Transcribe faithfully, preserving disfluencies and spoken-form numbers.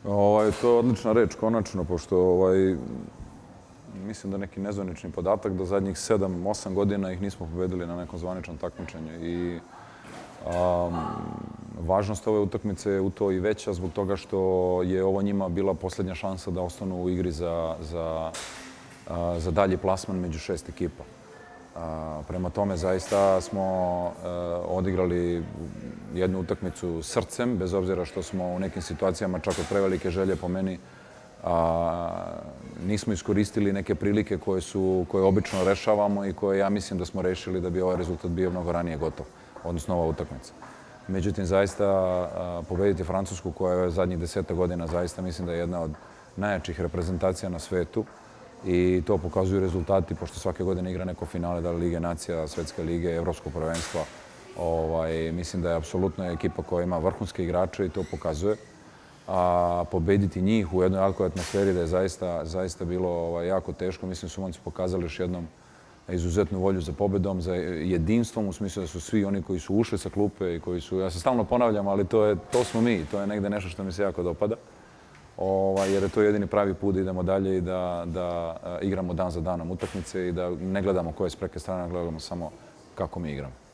Ovaj, to je odlična reč, konačno, pošto ovaj, mislim da neki nezvanični podatak da zadnjih sedam, osam godina ih nismo pobedili na nekom zvaničnom takmičenju. I um, važnost ove utakmice je u to i veća zbog toga što je ovo njima bila posljednja šansa da ostanu u igri za, za, a, za dalji plasman među šest ekipa. A, prema tome, zaista smo a, odigrali jednu utakmicu srcem, bez obzira što smo u nekim situacijama čak od prevelike želje po meni a, nismo iskoristili neke prilike koje, su, koje obično rešavamo i koje ja mislim da smo rešili da bi ovaj rezultat bio mnogo ranije gotov, odnosno ova utakmica. Međutim, zaista a, pobediti Francusku koja je zadnjih deseta godina zaista mislim da je jedna od najjačih reprezentacija na svetu i to pokazuju rezultati, pošto svake godine igra neko finale, da li Lige nacija, Svetske lige, Evropsko prvenstvo. Ovaj, mislim da je apsolutno ekipa koja ima vrhunske igrače i to pokazuje. A pobediti njih u jednoj jakoj atmosferi da je zaista, zaista bilo ovaj, jako teško. Mislim da su momci pokazali još jednom izuzetnu volju za pobedom, za jedinstvom, u smislu da su svi oni koji su ušli sa klupe i koji su, ja se stalno ponavljam, ali to, je, to smo mi, to je negde nešto što mi se jako dopada. Ovaj, jer je to jedini pravi put da idemo dalje i da, da igramo dan za danom utakmice i da ne gledamo koje s preke strane, gledamo samo kako mi igramo.